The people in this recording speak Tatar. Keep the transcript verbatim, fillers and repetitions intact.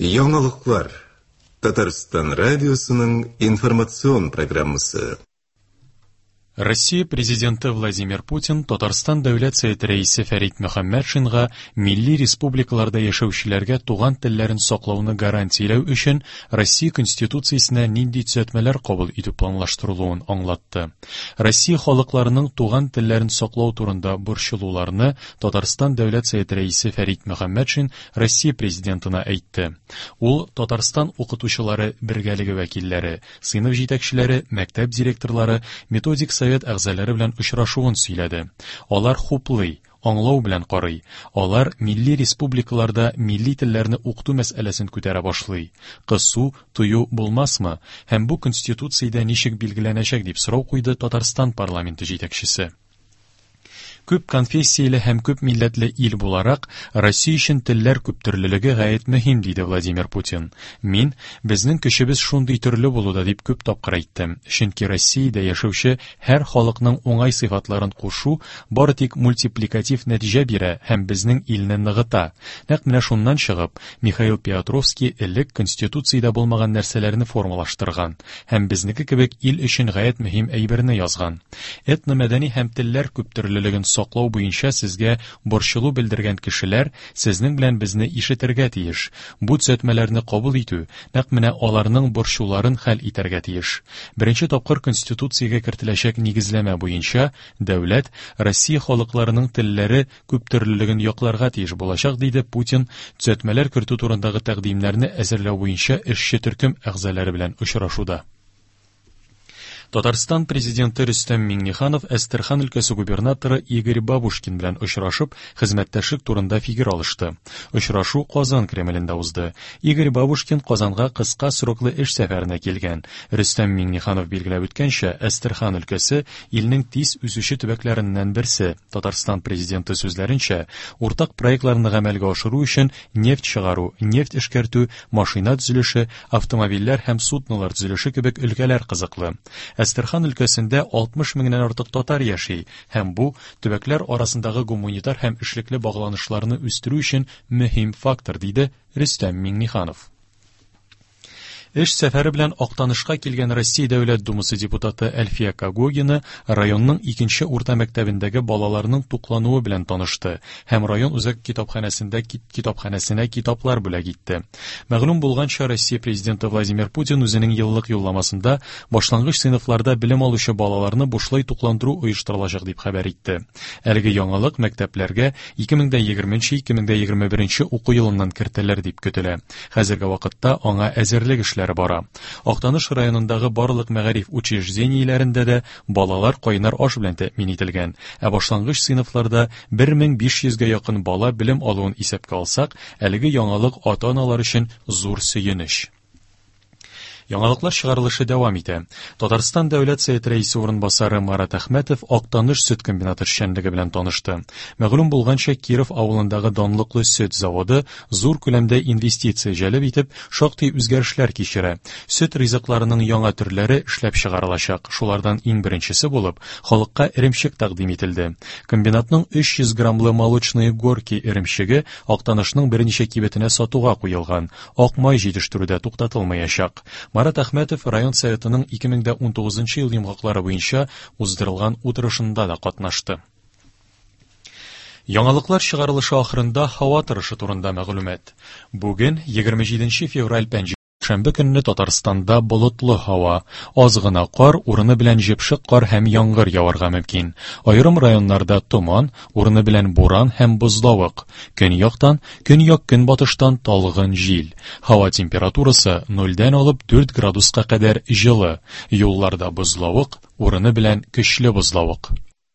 Яңалыклар. Татарстан радиосының информацион программасы. Россия президенты Владимир Путин Татарстан Дәүләт Советы рәисе Фәрит Мөхәммәтшинга милли республикаларда яшәүчеләргә туган телләрен саклауны гарантияләү өчен Россия Конституциясенә нинди төзәтмәләр кабул итү планлаштырылуын аңлатты. Россия халыкларының туган телләрен саклау турында борчылуларны Татарстан Дәүләт Советы рәисе Фәрит Мөхәммәтшин Россия президентына әйтте. Ул Татарстан укытучылары бергәлеге вәкилләре, сыйныф җитәкчеләре, мәктәп директорлары, методик совет әгъзалары белән очрашуын сөйләде. Алар хуплый, аңлау белән карый. Алар милли республикаларда милли телләрне укыту мәсьәләсен күтәрә башлый. Кысу, тыю булмасмы? Һәм бу конституциядә ничек билгеләнәчәк дип сорау куйды Татарстан парламенты җитәкчесе. Күп конфессияле һәм күп милләтле ил буларак, Россия өчен телләр күптөрлелеге гаять мөһим, диде Владимир Путин. Мин, безнең көчебез шундый төрле булуда дип күп тапкыр әйттем. Чөнки Россиядә яшәүче һәр халыкның уңай сыйфатларын кушу бары тик мультипликатив нәтиҗә бирә һәм безнең илне ныгыта. Нәкъ менә шуннан чыгып, Михаил Петровский элек конституциядә булмаган нәрсәләрне формалаштырган һәм безнеке кебек ил өчен гаять мөһим әйберне язган. Этномәдәни һәм телләр күптөрлелеген саклау буенча сезгә борчылу белдергән кешеләр сезнең белән безне ишетергә тиеш. Бу төзәтмәләрне кабул итү нәкъ менә аларның борчуларын хәл итәргә тиеш. Беренче тапкыр конституциягә кертеләчәк нигезләмә буенча дәүләт Россия халыкларының телләре күптөрлелеген якларга тиеш булачак, диде Путин төзәтмәләр кертү турындагы тәкъдимнәрне әзерләү буенча эшче төркем әгъзалары белән очрашуда. Татарстан президенты Рөстәм Миңнеханов Әстерхан өлкәсе губернаторы Игорь Бабушкин белән очрашып, хезмәттәшлек турында фикер алышты. Очрашу Казан Кремлендә узды. Игорь Бабушкин Казанга кыска сроклы эш сәфәренә килгән. Рөстәм Миңнеханов билгеләп үткәнчә, Әстерхан өлкәсе илнең тиз үсүче төбәкләреннән берсе. Татарстан президенты сүзләренчә, уртак проектларны гамәлгә ашыру өчен нефть чыгару, нефть эшкәртү, машина төзелеше, автомобильләр һәм суднолар төзелеше кебек өлкәләр кызыклы. Әстерхан өлкәсендә алтмыш меңнән артык татар яши һәм бу төбәкләр арасындагы гуманитар һәм эшлекле багланышларны үстерү өчен мөһим фактор, диде Рөстәм Миңнеханов. Эш сәфәре белән Актанышка килгән Россия Дәүләт Думасы депутаты Әлфия Когогина районның икенче урта мәктәбендәге балаларның туклануы белән танышты һәм район үзәк китапханәсендә китапханәсенә китаплар бүләк итте. Мәгълүм булганча, Россия президенты Владимир Путин үзенең еллык юлламасында башлангыч сыйныфларда белем алучы балаларны бушлай тукландыру оештырылачак дип хәбәр итте. Әлеге яңалык мәктәпләргә ике мең дә егерменче ике мең дә егерме беренче уку елыннан кертелер дип көтелә. Хәзерге вакытта аңа әзерлек эшләре бара. Актаныш районындагы барлык мәгариф учреждениеләрендә дә балалар кайнар аш белән тәэмин ителгән. Ә башлангыч сыйныфларда бер мең биш йөзгә якын бала белем алуын исәпкә алсак, әлеге яңалык ата-аналар өчен зур сөенеч. Яңалыклар чыгарылышы дәвам итә. Татарстан Дәүләт Советы рәисе урынбасары Марат Әхмәтов Актаныш сөт комбинаты эшчәнлеге белән танышты. Мәгълүм булганча, Киров авылындагы данлыклы сөт заводы зур күләмдә инвестиция җәлеп итеп, шактый үзгәрешләр кичерә. Сөт ризыкларының яңа төрләре эшләп чыгарылачак. Шулардан иң беренчесе булып, халыкка эремчек тәкъдим ителде. Комбинатның өч йөз граммлы молочные горки эремчеге Актанышның берничә кибетенә сатуга куелган. Ак май җитештерүдә туктатылмаячак. Марат Әхмәтов район советының ике мең дә унтугызынчы ел йомгаклары буенча уздырылган утырышында да катнашты. Яңалыклар чыгарылышы ахырында һава торышы турында мәгълүмат. Бүген егерме җиденче февраль пәнҗешәмбе көнне Татарстанда болытлы һава, аз гына кар, урыны белән җепшек кар һәм яңгыр яварга мөмкин. Аерым районнарда томан, урыны белән буран һәм бозлавык. Көньяктан, көньяк-көнбатыштан талгын җил. Һава температурасы нольдән алып дүрт градуска кадәр җылы. Юлларда бозлавык, урыны белән көчле бозлавык.